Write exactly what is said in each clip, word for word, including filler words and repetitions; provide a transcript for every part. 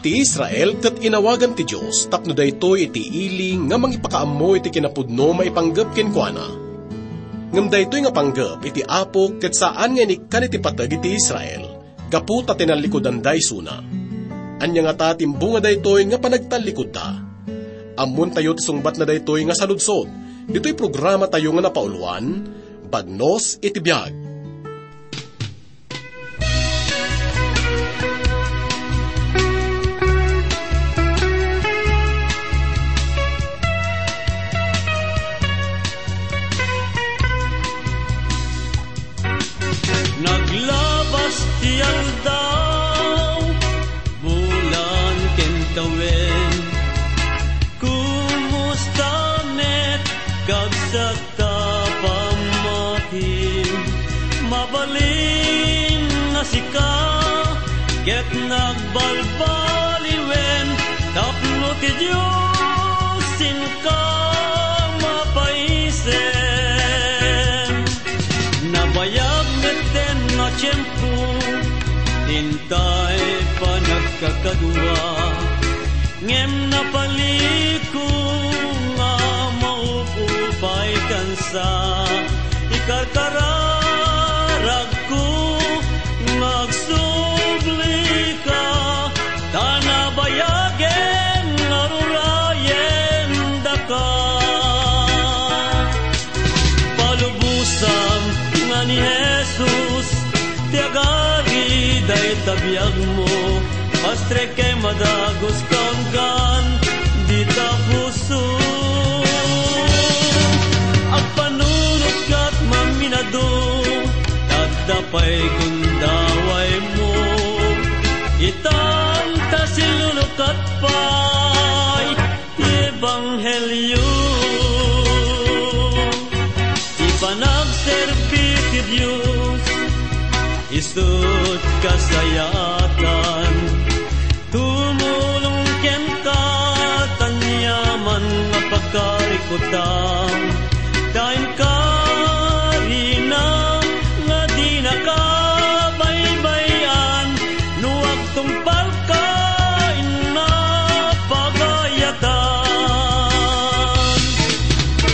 Ti Israel ket inawagan ti Dios tapno daytoy iti ili nga mangipakaammo iti kinapudno maipanggep kenkuana. Ngem daytoy nga panggep iti Apo ket saan nga inikkan iti pateg iti Israel, gapu ta tinallikudanda isuna. Ania ngata ti imbunga daytoy nga panagtallikudda? Ammontayo ti sungbatna daytoy nga saludsod ditoy programatayo nga napauloan, Bagnos iti Biag. Naglabas ti aldaw, bulan ken tawen. Kumusta met, kabsat ta pamati? Mabalin nga sika ket nagbalbaliwen tapno ti Dios inka mapaisem. Nabayag metten nga tiempo, intay panagkakadua. Ngem napaliko nga maup-upay kansa, ikarkararagko nga agsublika, ta nabayagen nga rurayen daka. Palubosam nga ni Jesus ti agari dayta biagmo, pastrekem a dagus kaanggan dita puso. Agpanunot ket maminado, tadda pay gundawaymo, itan ta silulukat pay ti ebanghelio. Ti panagserbi ti Dios, isu't kasayaatan. Tumulong kenka, ta aniaman nga pagkarikutam, ta inkarina nga dinaka baybay-an. No agtungpalka, inna pagayatan.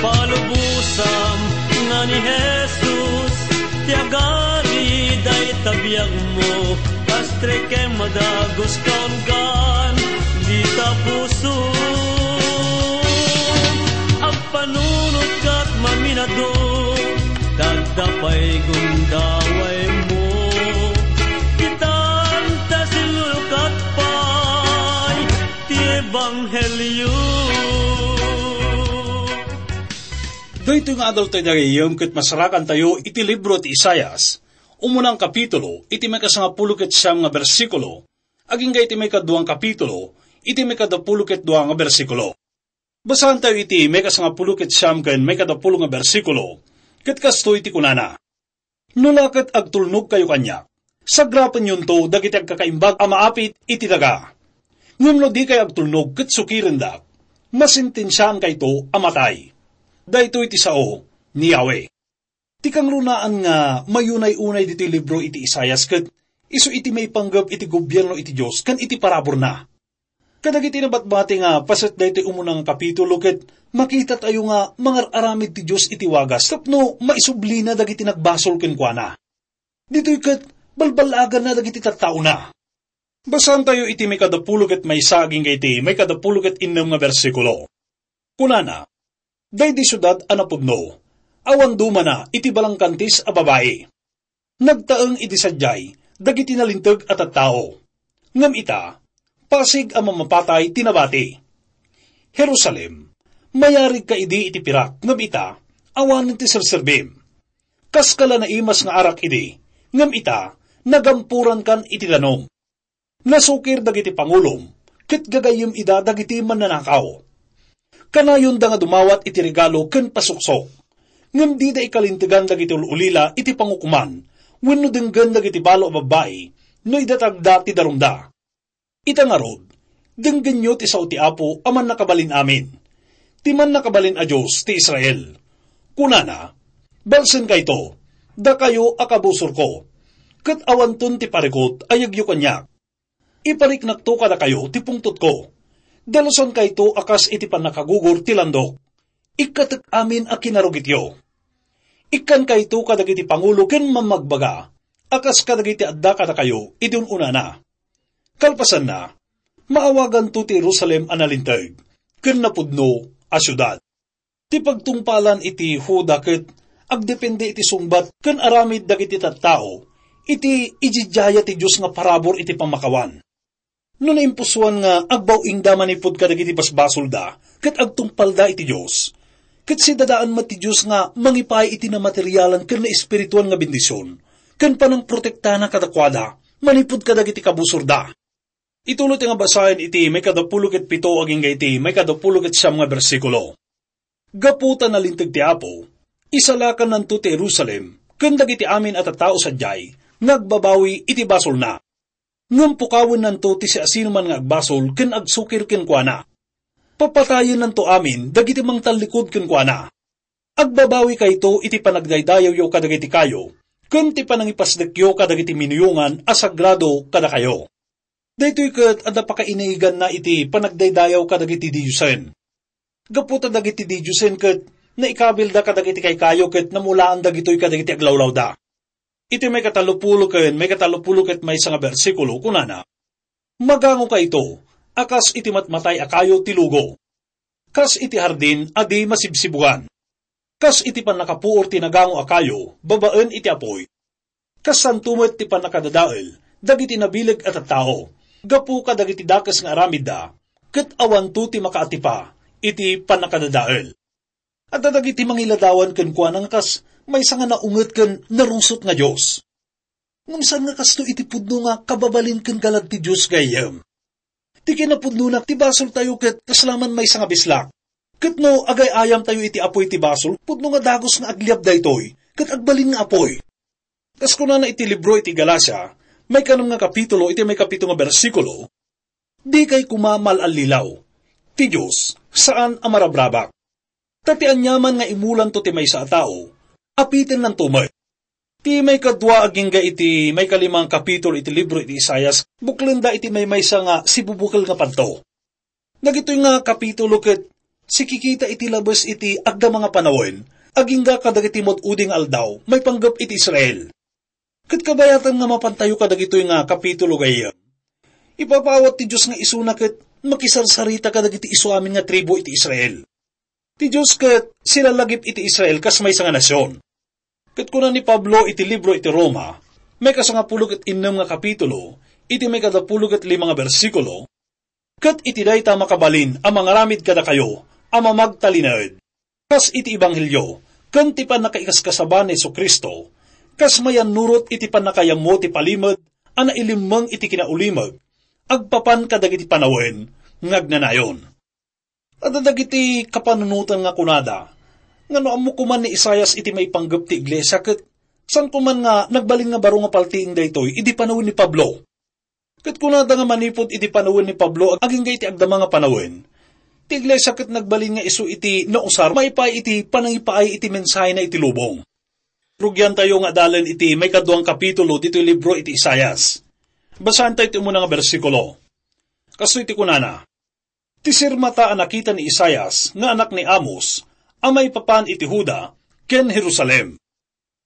Palubosam nga ni Jesus ti agari dayta biagmo, pastrekem a dagus kaanggan dita puso. Agpanunot ket maminado, tadda pay gundawaymo. Itan ta silulukat pay ti ebanghelio. Daytoy nga adal tayo dagayem ket masarakantayo iti libro ti Isaias, umunang kapitulo, iti maikasangapulo ket siam nga bersikulo, agingga iti maikaduang kapitulo, iti maikadapulo ket dua nga bersikulo. Basaantayo iti maikasangapulo ket siam ken maikadapulo nga bersikulo, ket kastoy ti kunana: "No la ket agtulnogkayo kaniak, sagrapenyonto dagiti agkakaimbag a maapit iti daga. Ngem no dikay agtulnog ket sukirendak, masentensiaankayto a matay." Daytoy ti sao ni Yahweh. Ti kangrunaan nga mayunay-unay ditoy libro iti Isaias ket isu iti maipanggep iti gobierno iti Dios ken iti paraburna. Kadagiti nabatbati nga paset daytoy umuna nga kapitulo ket makitatayo nga mangar-aramid ti Dios iti wagas tapno maisublina dagiti nagbasol kenkuana. Ditoy ket balballaaganna dagiti tattaona. Basaantayo iti maikadapulo ket maysa agingga iti maikadapulo ket innem nga bersikulo. Kunana: "Daydi siudad a napudno, awan dumana iti balangkantis a babai. Nagtaeng idi sadiay dagiti nalinteg a tattao. Ngem ita, pasig a mamapatay ti nabati. Jerusalem, mayarigka idi iti pirak, ngem ita, awanen ti serserbim. Kaska la naimas nga arak idi, ngem ita, nagampurankan iti danum. Nasukir dagiti pangulom, ket gagayyem ida dagiti mannanakaw. Kanayonda nga dumawat iti regalo ken pasuksok, ngem dida ikalintegan dagiti ul-ulila iti pangukoman wenno denggen dagiti balo a babbai no idatagda ti darumda. Ita ngarud, denggenyo ti sao ti Apo a Mannakabalin-amin, ti Mannakabalin a Dios ti Israel. Kunana: Balsenkayto, dakayo a kabusorko, ket awanton ti parikut a yegyo kaniak. Ipariknakto kadakayo ti pungtotko. Dalusankayto a kas iti pannakagugor ti landok. Ikkatek amin a kinarugityo. Ikkankayto kadagiti pangulo ken mammagbaga a kas kadagiti adda kadakayo idi un-unana. Kalpasanna, maawaganto ti Jerusalem a nalinteg ken napudno a siudad. Ti pagtungpalan iti Juda ket agdepende iti sungbat ken aramid dagiti tattao iti ididiaya ti Dios nga parabur iti pammakawan. No naimpusoan nga agbaw-ingda manipud kadagiti basbasolda ket agtungpalda iti Dios, ket sidadaan met ti Dios nga mangipaay iti namaterialan ken naespirituan nga bendision ken panangprotektana kadakuada manipud kadagiti kabusorda. Ituloy ti nga basaen iti maikadapulo ket pito agingga iti maikadapulo ket siam nga bersikulo. Gapu ta nalinteg ti Apo, isalakannanto ti Jerusalem ken dagiti amin a tattao sadiay nga agbabawi iti basolna. Ngem pukawennanto ti siasinoman nga agbasol ken agsukir kenkuana. Papatayennanto amin dagiti mangtallikud kenkuana. Agbabawikayto iti panagdaydayawyo kadagiti kayo ken ti panangipasdekyo kadagiti minuyongan a sagrado kadakayo. Daytoy ket adda pakainiganna iti panagdaydayaw kadagiti didiosen. Gapu ta dagiti didiosen ket naikabilda kadagiti kaykayo ket namulaan dagitoy kadagiti aglawlawda. Iti maikatalopulo ken maikatalopulo ket maysa nga bersikulo, kunana, "Magangokayto a kas iti matmatay a kayo ti lugo, kas iti hardin a di masibsibugan, kas iti pannakapuor ti nagango a kayo babaen iti apuy. Kasanto met ti pannakadadael dagiti nabileg a tattao gapu kadagiti dakes nga aramidda, ket awanto ti makaatipa iti pannakadadael." Adda dagiti mangiladawan kenkuana nga kas maysa nga naunget ken narungsot nga dios. Ngem saan nga kasto iti pudno nga kababalin ken galad ti Dios gayyem. Ti kinapudnona, ti basoltayo ket kasla man maysa nga bislak. Ket no agay-ayamtayo iti apuy ti basol, pudno nga dagus nga agliab daytoy, ket agbalin nga apuy. Kas kunana iti libro iti Galacia, maikanem nga kapitulo iti maikapito nga bersikulo, "Dikay koma mal-allilaw. Ti Dios, saan a marabrabak. Ta ti aniaman nga imulanto ti maysa a tao, apitennanto met." Ti maikadua agingga iti maikalima nga kapitulo iti libro iti Isaias, buklenda iti maymaysa nga sibubukel nga padto. Dagitoy nga kapitulo ket sikikita iti labes iti agdama nga panawen, agingga kadagiti mad-udi nga aldaw, maipanggep iti Israel. Ket kabayatan nga mapantayo kadagitoy nga kapitulo gayyem, ipapaawat ti Dios nga isuna ket makisarsarita kadagiti isu amin nga tribu iti Israel. Ti Dios ket silalagip iti Israel kas maysa nga nasion. Ket kuna ni Pablo iti libro iti Roma, maikasangapulo ket innem nga kapitulo, iti maikadapulo ket lima nga bersikulo, "Ket iti dayta makabalin a mangaramid kadakayo a mamagtalinaed, kas iti ebanghelio, ken ti pannakaikaskasaba ni Jesu-Cristo, kas mayannurot iti pannakayammo ti palimed a nailimmeng iti kinaulimeg, agpapan kadagiti panawen nga agnanayon." Adda dagiti kapanunotan nga kunada nga no ammo koman ni Isaias iti maipanggep ti iglesia ket saan koman nga nagbalin nga baro nga paltiing daytoy idi panawen ni Pablo. Ket kunada nga manipud iti panawen ni Pablo agingga iti agdama nga panawen, ti iglesia ket nagbalin nga isu iti nausar maipaay iti panangipaay iti mensahena iti lubong. Rugiantayo nga adalen iti maikaduang kapitulo ditoy libro iti Isaias. Basaentayo ti umuna nga bersikulo. Kastoy ti kunana, Ti sirmata a nakita ni Isaias nga anak ni Amos a maipapan iti Juda ken Jerusalem.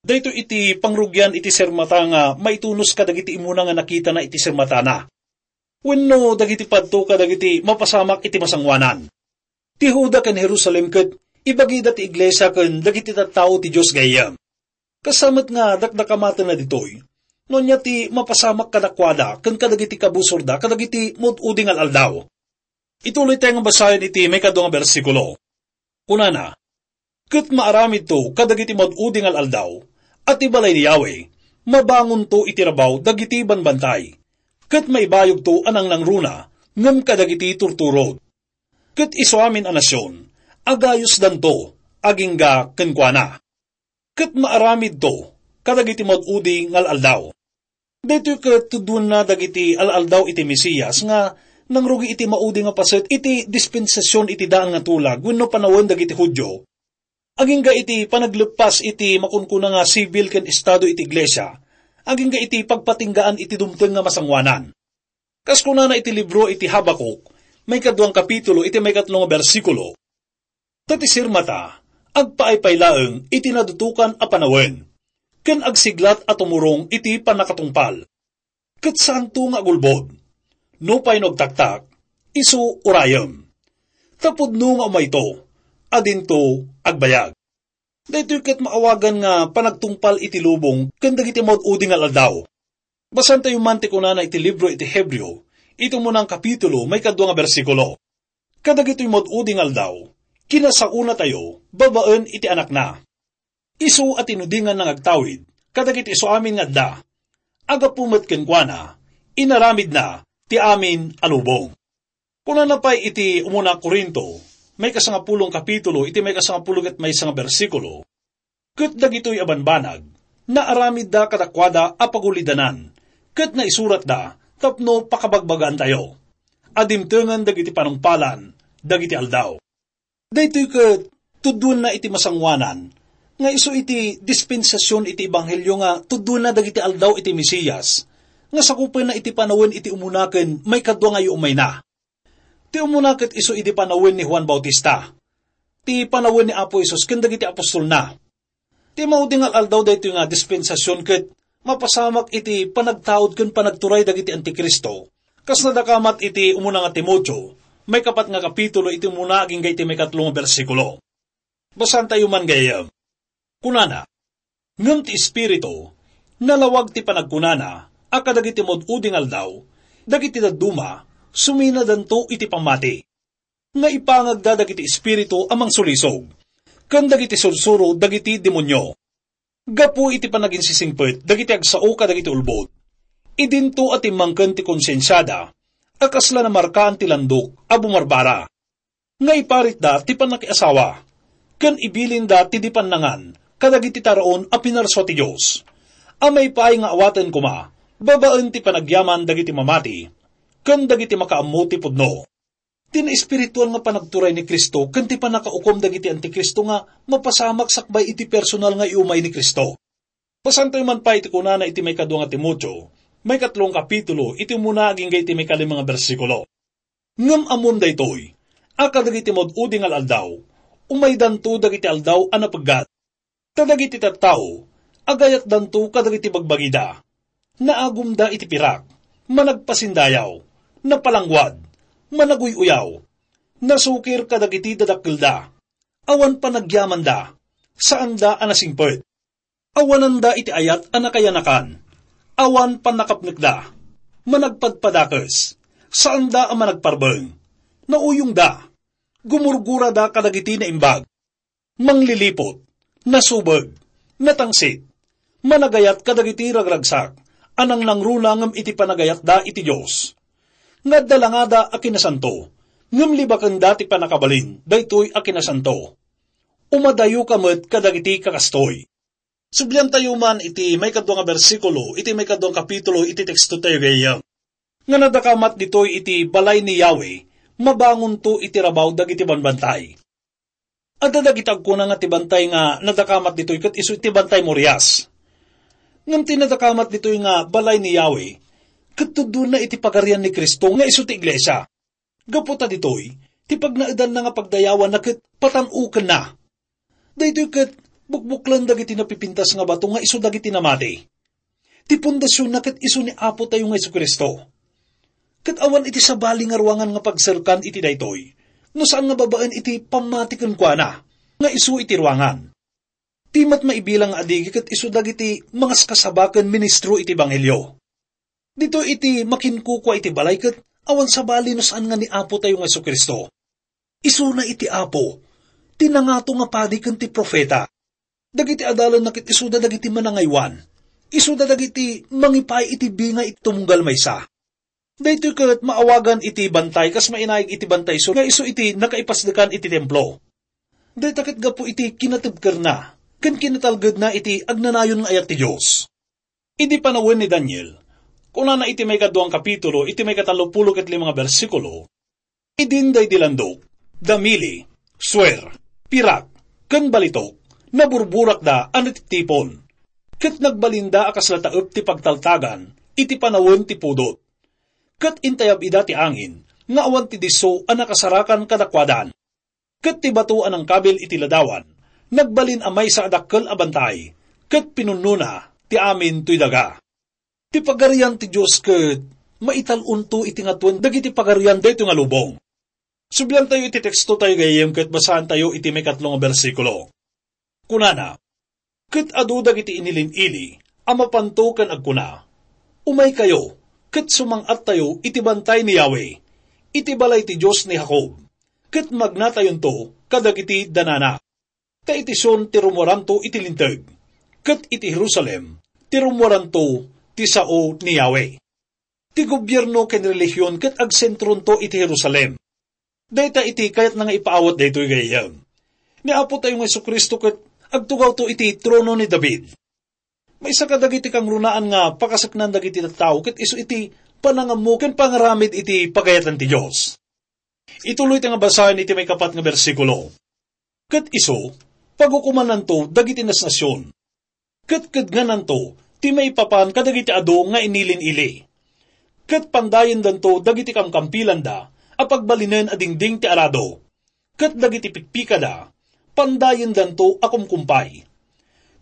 Daytoy iti pangrugian iti sirmata nga maitunos kadagiti immuna nga nakitana iti sirmatana, wenno dagiti padto kadagiti mapasamak iti masangoanan. Ti Juda ken Jerusalem ket ibagida ti iglesia ken dagiti tattao ti Dios gayyem. Kasta met nga dakdakamatenna ditoy, no ania ti mapasamak kadakuada ken kadagiti kabusorda kadagiti mud-udi nga al-aldaw. Ituloy tayo nga basaen iti maikadua nga bersikulo. Kunana, "Ket maaramidto kadagiti mad-udi nga al-aldaw a ti balay ni Yahweh mabangonto iti rabaw dagiti banbantay, ket maibayogto a nangnangruna ngem kadagiti turturod. Ket isu amin a nasion, agayusdanto agingga kenkuana." Ket maaramidto kadagiti maud-udi nga al-aldaw. Daytoy ket tudonna dagiti al-aldaw iti Mesias nga nangrugi iti maudi nga paset iti dispensasion iti daan nga tulag wenno panawen dagiti Judio, agingga iti panagleppas iti makunkuna nga sibil ken estado iti iglesia, agingga iti pagpatinggaan iti dumteng nga masangoanan. Kas kunana iti libro iti Habakuk, maikaduang kapitulo iti maikatlo nga bersikulo, "Ta ti sirmata, agpaaypay laeng iti nadutokan a panawen, ken agsiglat a tumurong iti pannakatungpal. Ket saanto nga agulbod. Nupay no agtaktak, isu urayem. Ta pudno nga umayto, a dinto agbayag." Daytoy ket maawagan nga panagtungpal iti lubong ken dagiti maud-udi nga al-aldaw. Basaentayo man ti kunana iti libro iti Hebreo, iti umunang kapitulo, maikadua nga bersikulo. Kadagitoy maud-udi nga aldaw, kinasaonatayo babaen iti Anakna. Isu a tinudinganna nga agtawid kadagiti isuamin nga adda. Agapu met kenkuana, inaramidna ti amin a lubong. Kunana pay iti umuna a Corinto, maikasangapulo nga kapitulo, iti maikasangapulo ket maysa nga bersikulo, "Ket dagitoy a banbanag, naaramidda kadakuada a pagulidanan, ket naisuratda tapno pakabagbagaantayo a dimtengen dagiti panungpalan dagiti aldaw." Daytoy ket tuddoenna iti masangoanan nga isu iti dispensasion iti ebanghelio nga tuddoenna dagiti aldaw iti Mesias, nga sakupenna iti panawen iti umuna ken maikadua nga iyumayna. Ti umuna ket isu idi panawen ni Juan Bautista, ti panawen ni Apo Jesus ken dagiti apostolna. Ti maudi nga al-aldaw daytoy nga dispensasion ket mapasamak iti panagtaud ken panagturay dagiti antikristo. Kas nadakamat iti umuna nga Timoteo, maikapat nga kapitulo, iti umuna agingga iti maikatlo nga bersikulo. Basaentayo man gayam. Kunana, "Ngem ti Espiritu, nalawag ti panagkunana a kadagiti maud-udi nga aldaw, dagiti dadduma, suminadanto iti pammati. Nga ipangagda dagiti espiritu a mangsulisog, ken dagiti sursuro dagiti demonio. Gapu iti panaginsisingpet dagiti agsao kadagiti ulbod, idinto a timmangken ti konsensiada a kasla namarkaan ti landok a bumarbara. Nga iparitda ti pannakiasawa, ken ibilinda ti di pannangan kadagiti taraon a pinarsua ti Dios, a maipaay nga awaten koma babaen ti panagyaman dagiti mamati ken dagiti makaammo ti pudno." Ti naespirituan nga panagturay ni Cristo ken ti pannakaukom dagiti antikristo nga mapasamak sakbay iti personal nga iumay ni Cristo. Basaentayo man pay iti kunana iti maikadua nga Timoteo, maikatlo nga kapitulo, iti umuna agingga iti maikalima nga bersikulo. "Ngem ammom daytoy, a kadagiti maud-udi nga al-aldaw, umaydanto dagiti aldaw a napeggat. Ta dagiti tattao, agayatdanto kadagiti bagbagida. Naagumda iti pirak, managpasindayaw, napalangguad, managuy-uyaw, nasukir kadagiti dadakkelda, awan panagyamanda, saanda a nasingpet. Awananda iti ayat a nakayanakan, awan pannakapnekda, managpadpadakes, saanda a managparbeng, nauyongda, gumurgurada kadagiti naimbag, mangliliput, nasubeg, natangsit, managayat kadagiti ragragsak a nangnangruna ngem iti panagayatda iti Dios. Nga adda langada a kinasanto, ngem libakenda ti pannakabalin daytoy a kinasanto. Umadayoka met kadagiti kakastoy." Subliantayo man iti maikadua nga bersikulo iti maikadua nga kapitulo iti tekstotayo gayam, nga nadakamat ditoy iti balay ni Yahweh, mabangonto iti rabaw dagiti banbantay. Adda dagiti agkuna nga ti bantay nga nadakamat ditoy ket isu ti Bantay Morias. Ngem ti nadakamat ditoy nga balay ni Yahweh, ket tuddoenna iti Pagarian ni Cristo nga isu ti iglesia. Gapu ta ditoy, ti pagnaedanna nga pagdayawanna ket patan-okenna. Daytoy ket bukbuklan dagiti napipintas nga bato nga isu dagiti namati. Ti pundasionna ket isu ni Apotayo nga Jesu-Cristo. Ket awan iti sabali nga ruangan nga pagserkan iti daytoy, no saan nga babaen iti pammati kenkuana, nga isu iti ruangan. Ti met maibilang nga adigi ket isu dagiti mangaskasaba ken ministro iti ebanghelio. Ditoy iti makinkukua iti balay ket awan sabali no saan nga ni Apotayo nga Jesu-Cristo. Isuna iti Apo, ti nangato nga padi ken ti profeta. Dagiti adalanna ket isuda dagiti manangaywan. Isuda dagiti mangipaay iti bingay iti tumunggal maysa. Daytoy ket maawagan iti bantay kas mainaig iti bantay isu nga isu iti nakaipasdekan iti templo. Dayta ket gapu iti kinatibkerna ken kinatalgedna iti agnanayon nga ayat ti Dios. Idi panawen ni Daniel, kunana iti maikadua nga kapitulo, iti maikatallopulo ket lima nga bersikulo, "Idin daydi landok, damili, suer, pirak, ken balitok, naburburakda a natiptipon, ket nagbalinda a kasla taep ti pagtaltagan iti panawen ti pudot. Ket intayab ida ti angin nga awan ti disso a nakasarakan kadakuadan. Ket ti bato a nangkabil iti ladawan, nagbalin a maysa a dakkel a bantay, ket pinunnona ti amin toy daga. Ti Pagarian ti Dios ket maital-onto iti ngatuen dagiti pagarian daytoy nga lubong. Subliantayo iti tekstotayo gayyem ket basaantayo iti maikatlo nga bersikulo. Kunana, "Ket adu dagiti inilin-ili a mapanto ken agkuna, 'Umaykayo, ket sumang-attayo iti bantay ni Yahweh, iti balay ti Dios ni Jacob, ket magnatayonto kadagiti danana.' Ta iti Sion ti rummuaranto iti linteg, ket iti Jerusalem ti rummuaranto ti sao ni Yahweh." Ti gobierno ken relihion ket agsentronto iti Jerusalem. Dayta iti kayatna nga ipaawat daytoy gayyem. Ni Apo tayo nga Jesu-Cristo ket agtugawto iti trono ni David. Maysa kadagiti kangrunaan nga pakaseknan dagiti tattao ket isu iti panangammo ken pangaramid iti pagayatan ti Dios. Ituloy ti nga basaen iti maikapat nga bersikulo. "Ket isu, pagukomannanto dagiti nasnasion. Ket kedngananto ti maipapan kadagiti adu nga inilin-ili. Ket pandayendanto dagiti kamkampilanda a pagbalinen a dingding ti arado. Ket dagiti pikpikada, pandayendanto a kumkumpay.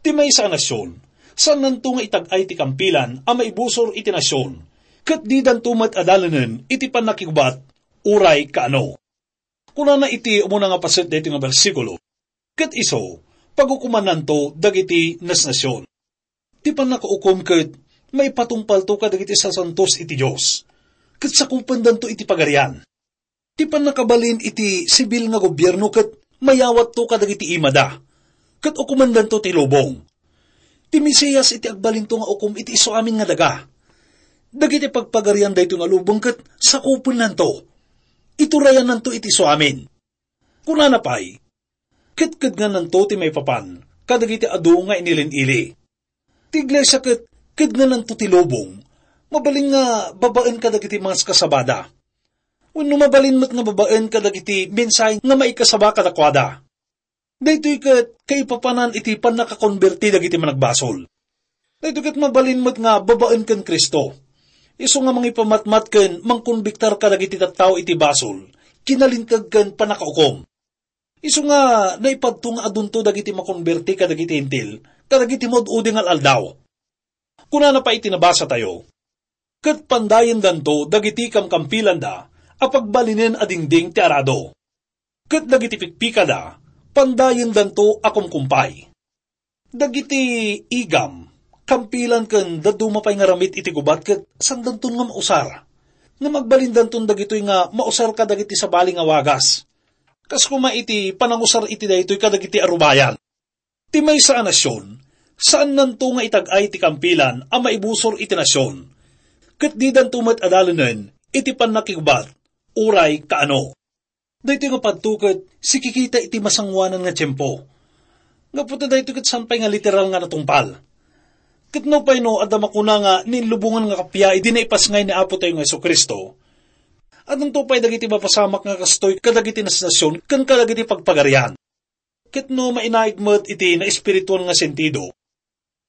Ti maysa a nasion, saannanto nga itag-ay ti kampilan a maibusor iti nasion, ket didanto met adalenen iti pannakigubat uray kaano." Kunana iti umuna nga paset daytoy nga bersikulo, "Ket isu, pagukomannanto dagiti nasnasion." Ti pannakaukom ket maipatungpalto kadagiti sasantos iti Dios, ket sakupendanto iti Pagarian. Ti pannakabalin iti sibil nga gobierno ket mayawatto kadagiti imada, ket ukomandanto ti lubong. Ti Mesias iti agbalinto nga ukom iti isu amin nga daga. Dagiti pagpagarian daytoy nga lubong ket sakupennanto. Iturayananto iti isu amin. Kunana pay, "Ket kedngananto ti maipapan kadagiti adu nga inilin-ili." Ti iglesia ket kedngananto ti lubong, mabalin nga babaen kadagiti maskasabada. Wenno mabalin met nga babaen kadagiti mensahe nga maikasaba kadakuada. Daytoy ket kaipapanan iti pannakakonberti dagiti managbasol. Daytoy ket mabalin met nga babaen ken Cristo. Isu nga mangipamatmat ken mangkonbiktar kadagiti tattao iti basol, kinalinteg ken pannakaukom. Isu nga naipadto nga adunto dagiti makonberti kadagiti Hentil, kadagiti maud-udi nga al-aldaw. Kunana pay iti nabasatayo, "Ket pandayendanto dagiti kamkampilanda a pagbalinen a dingding ti arado. Ket dagiti pikpikada, pandayendanto a kumkumpay." Dagiti igam, kampilan ken dadduma pay nga ramid iti gubat ket saandanton nga mausar. Ngem agbalindanton dagitoy nga mausar kadagiti sabali nga wagas. Kas koma iti panangusar iti daytoy kadagiti arubayan. Ti maysa a nasion, saannanto nga itag-ay ti kampilan a maibusor iti nasion, ket didanto met adalenen iti pannakigubat, uray kaano. Daytoy nga padto ket sikikita iti masangoanan nga tiempo. Gapu ta daytoy ket saan pay nga literal nga natungpal. Ket nupay no adda makuna nga ninlubongan nga kappia idi naipasngay ni Apo tayo nga Jesu-Cristo, addanto pay dagiti mapasamak nga kastoy kadagiti nasnasion ken kadagiti pagpagarian. Ket no mainaig met iti naespirituan nga sentido,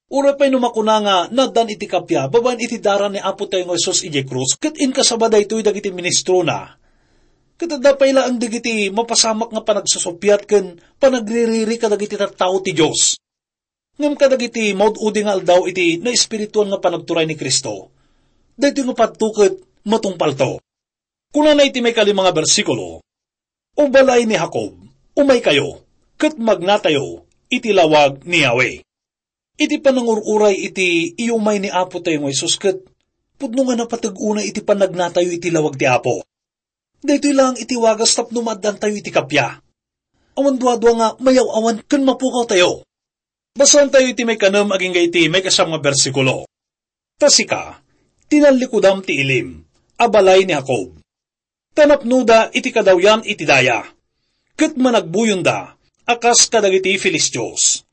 uray pay no makuna nga naaddan iti kappia babaen iti dara ni Apo tayo nga Jesus idiay krus ket inkasaba daytoy dagiti ministrona, ket adda pay laeng dagiti mapasamak nga panagsusuppiat ken panagririri kadagiti tattao ti Dios. Ngem kadagiti maud-udi nga aldaw iti naespirituan nga panagturay ni Cristo, daytoy nga padto ket matungpalto. Kunana iti maikalima nga bersikulo, "O balay ni Jacob, umaykayo, ket magnatayo iti lawag ni Yahweh." Iti panangur-uray iti iyumay ni Apo tayo nga Jesus ket pudno nga napateg unay iti panagnatayo iti lawag ti Apo. Daytoy laeng iti wagas tapno maaddantayo iti kappia. Awan duadua nga mayaw-awan ken mapukawtayo. Basaentayo iti maikanem agingga iti maikasam nga bersikulo. "Ta sika, tinallikudam ti ilim, a balay ni Jacob. Ta napnoda iti kadawyan iti daya, ket managbuyonda a kas kadagiti Filistios.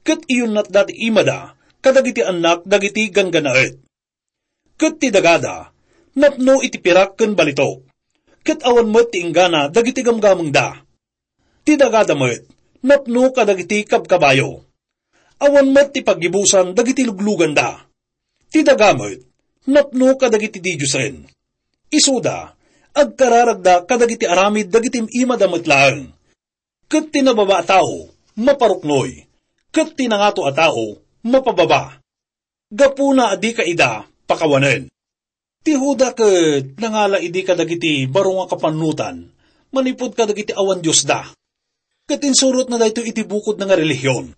Ket iyunnatda ti imada kadagiti annak dagiti ganggannaet. Ket ti dagada, napno iti pirak ken balitok, ket awan met ti inggana dagiti gamgamengda. Ti dagada met, napno kadagiti kabkabayo. Awan met ti paggibusan dagiti lugluganda. Ti daga met, napno kadagiti didiosen. Isuda, agkararagda kadagiti aramid dagiti im-imada met laeng. Ket ti nababa a tao, maparuknoy. Ket ti nangato a tao, mapababa. Gapuna a dika ida pakawanen. Ti Juda ket nangala idi kadagiti baro nga kapannutan manipud kadagiti awan Diosda. Ket insurotna daytoy iti bukodna nga relihion.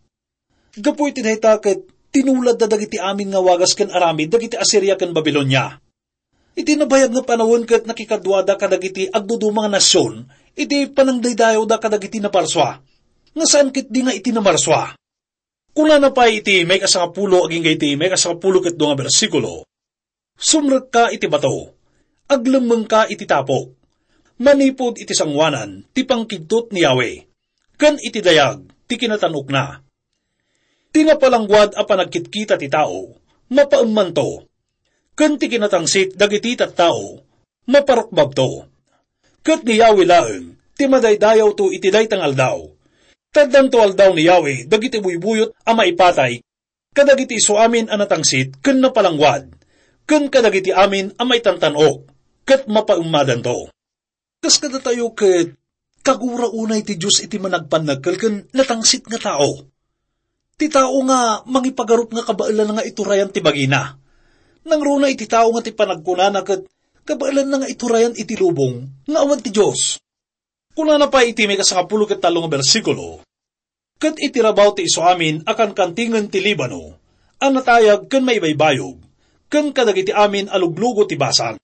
Gapu iti dayta ket tinuladda dagiti amin nga wagas ken aramid dagiti Asiria ken Babilonia. Iti nabayag nga panawen ket nakikaduada kadagiti agduduma nga nasion iti panangdaydayawda kadagiti naparsua, nga saan ketdi nga iti namarsua. Kunana pay iti maikasangapulo agingga iti maikasangapulo ket dua nga bersikulo, "Sumrekka iti bato, aglemmengka iti tapok, manipud iti sangoanan ti pangkigtot ni Yahweh, ken iti dayag ti kinatan-okna. Ti napalangguad a panagkitkita ti tao, mapaemmanto, ken ti kinatangsit dagiti tattao, maparukbabto. Ket ni Yahweh laeng ti madaydayawto iti dayta nga aldaw. Ta addanto aldaw ni Yahweh dagiti buybuyot a maipatay kadagiti isuamin a natangsit ken napalangguad, ken kadagiti amin a maitantan-ok, ket mapaemmadanto." Kas kadatayo ket, kagura unay ti Dios iti managpannakkel ken natangsit nga tao. Ti tao nga mangipagarup nga kabaelan nga iturayan ti bagina. Nangruna iti tao nga ti panagkunana ket kabaelanna nga iturayan iti lubong nga awan ti Dios. Kunana pay iti maikasangapulo ket tallo nga bersikulo, "Ket iti rabaw ti isuamin a kankantingen ti Libano, a natayag ken maibaybayog, ken kadagiti amin a luglugo ti Basan."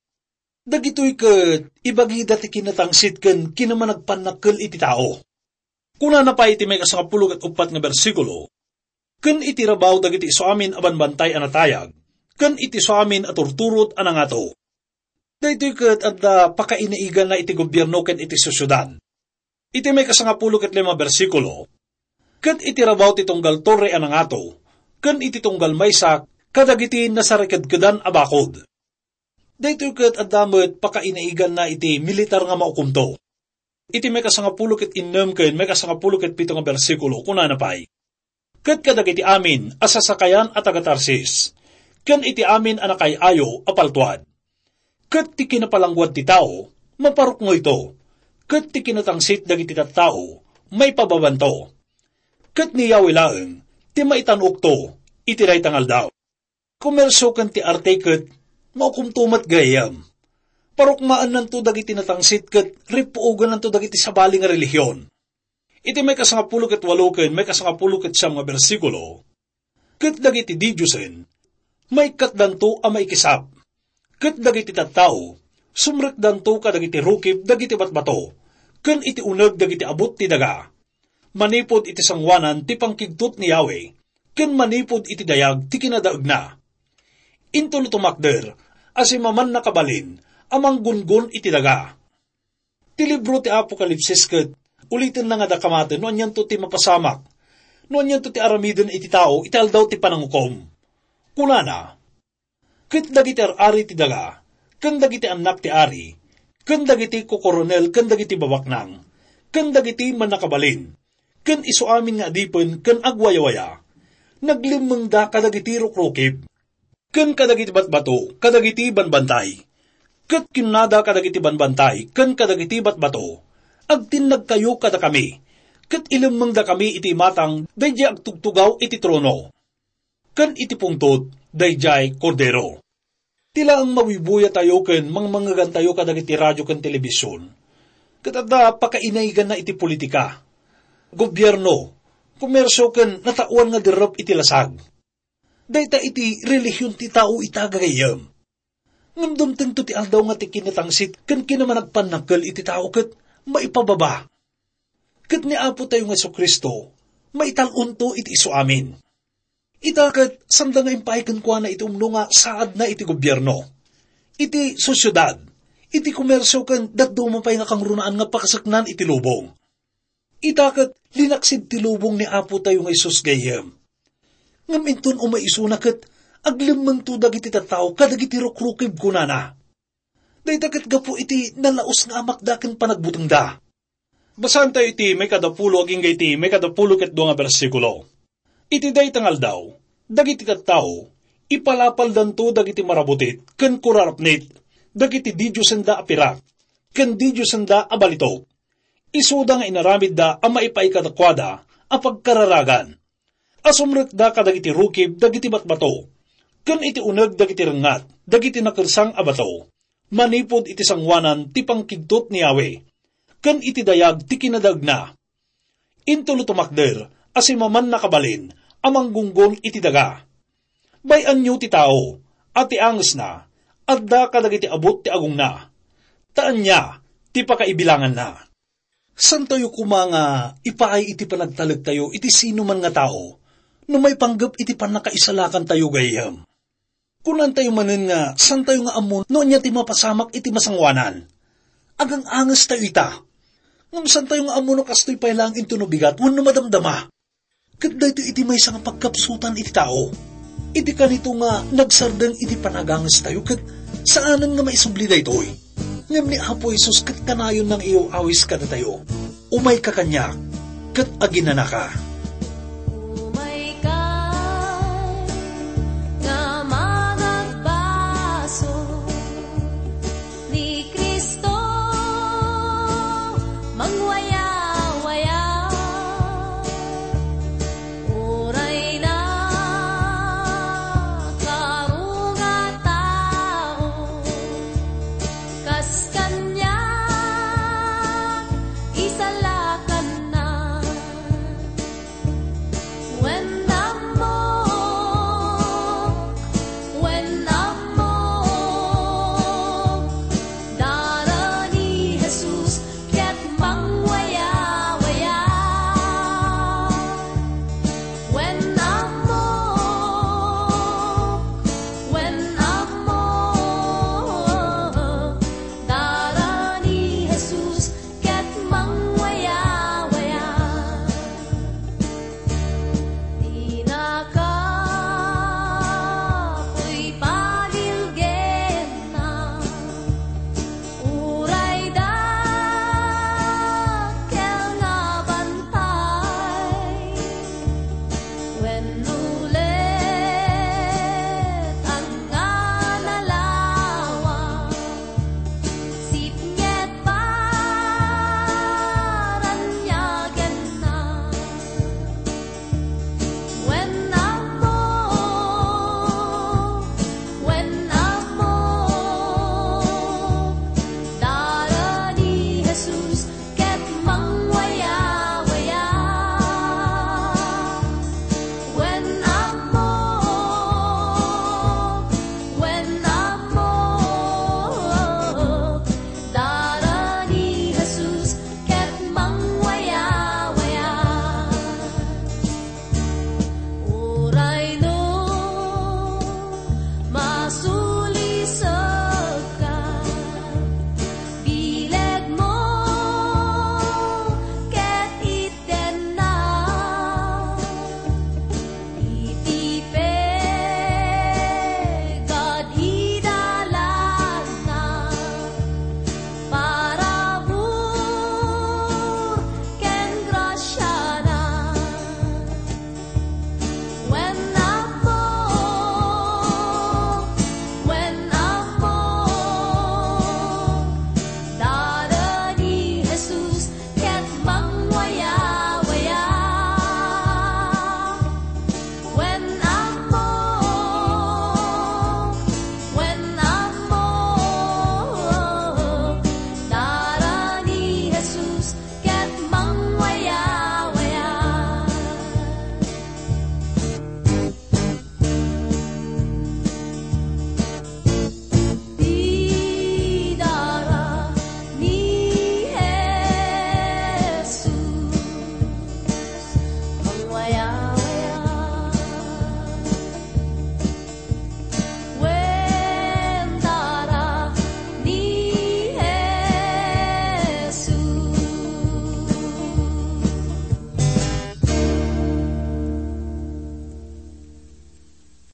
Dagitoy ket ibagida ti kinatangsit ken kinamanagpannakkel iti tao. Kunana pay iti maikasangapulo ket uppat nga bersikulo, "Ken iti rabaw dagiti isuamin a banbantay a natayag, ken iti isuamin a turturot a nangato." Daytoy ket adda pakainaiganna iti gobierno ken iti sosiedad. Iti maikasangapulo ket lima bersikulo, "Ket iti rabaw ti tunggal torre a nangato, ken iti tunggal maysa kadagiti nasarikedkedan a bakod." Daytoy ket adda met pakainaiganna iti militar nga maukomto. Iti maikasangapulo ket innem ken maikasangapulo ket pito nga bersikulo, kunana pay, "Ket kadagiti amin a sasakayan a taga-Tarsis, ken iti amin a nakay-ayo a paltuad, ket ti kinapalangguad ti tao, maparuknoyto, ket ti kinatangsit dagiti tattao, maipababanto. Ket ni Yahweh laeng ti maitan-okto iti dayta nga aldaw." Komersio ken ti arte ket maukomto met gayyem. Parukmaennanto dagiti natangsit ket ripuogennanto dagiti sabali nga relihion. Iti maikasangapulo ket walo ken maikasangapulo ket siam nga bersikulo, "Ket dagiti didiosen, maikkatdanto a maikisap. Ket dagiti tattao, sumrekdanto kadagiti rukib dagiti batbato, ken iti uneg dagiti abut ti daga, manipud iti sangoanan ti pangkigtot ni Yahweh, ken manipud iti dayag ti kinadaegna. Intono tumakder a simaman nakabalin a manggungon iti daga." Ti libro ti Apokalipsis ket ulitenna nga dakamaten no anianto ti mapasamak, no anianto ti aramiden iti tao iti aldaw ti panangukom. Kunana, "Ket dagiti ar-ari ti daga, ken dagiti annak ti ari, ken dagiti kokoronel ken dagiti babaknang, ken dagiti mannakabalin, ken isu amin nga adipen ken agwayawaya, naglemmengda kadagiti rukrukib, ken kadagiti batbato kadagiti banbantay. Ket kinunada kadagiti banbantay ken kadagiti batbato, 'Agtinnagkayo kadakami, ket ilemmengdakami iti imatang daydiay agtugtugaw iti trono, ken iti pungtot daydiay Kordero.'" Ti laeng mabuybuya tayo ken mangmangegan tayo kadagiti radio ken telebision, ket adda pakainaiganna iti politika, gobierno, komersio ken nataoan nga dirrep iti lasag. Dayta iti relihion ti tao ita, gagayyem. Ngem dumtengto ti aldaw nga ti kinatangsit ken kinamanagpannakkel iti tao ket maipababa. Ket ni Apo tayo nga Jesu-Cristo, maital-onto iti isu amin. Ita ket sanda nga impay kenkuana iti umno nga saadna iti gobierno, iti sosiedad, iti komersio ken dadduma pay nga kangrunaan nga pakaseknan iti lubong. Ita ket linaksid ti lubong ni Apo tayo nga Jesus gayyem. Ngem inton umay isuna ket aglemmengto dagiti tattao kadagiti rukrukib, kunana. Dayta ket gapu iti nalaus nga amakda ken panagbutengda. Basaentayo iti maikadapulo agingga iti maikadapulo ket dua nga bersikulo. Iti dayta nga aldaw, dagiti tattao, ipalapaldanto dagiti marabutit ken kurarapnit dagiti didiosenda a pirak, ken didiosenda a balitok. Isuda nga inaramidda a maipaay kadakuada a pagkararagan. Asumrekda kadagiti rukib dagiti batbato, ken iti uneg dagiti rengngat dagiti nakersang a bato, manipud iti sangoanan ti pangkigtot ni Yahweh, ken iti dayag ti kinadaegna. Intulo tumakder a simaman nakabalin a manggunggon iti daga. Bay-anyo ti tao, a ti angesna, adda kadagiti abut ti agongna. Ta ania ti pakaibilanganna? Santayo koma nga ipaay iti panagtalektayo iti sino man nga tao, no maipanggep iti pannakaisalakantayo gayyem. Kunantayo manen nga santayo nga ammo no ania ti mapasamak iti masangoanan. Agang-angestayo ita. Ngem santayo nga ammo no kastoy pay laeng intono bigat wenno madamdama. Ket daytoy iti maysa nga pagkapsutan iti tao. Iti kanito nga nagsardeng iti panagangestayo ket saanen nga maisubli daytoy. Ngem ni Apo Jesus ket kanayon nang iyaw-awis kadatayo, "Umayka kaniak, ket aginanaka."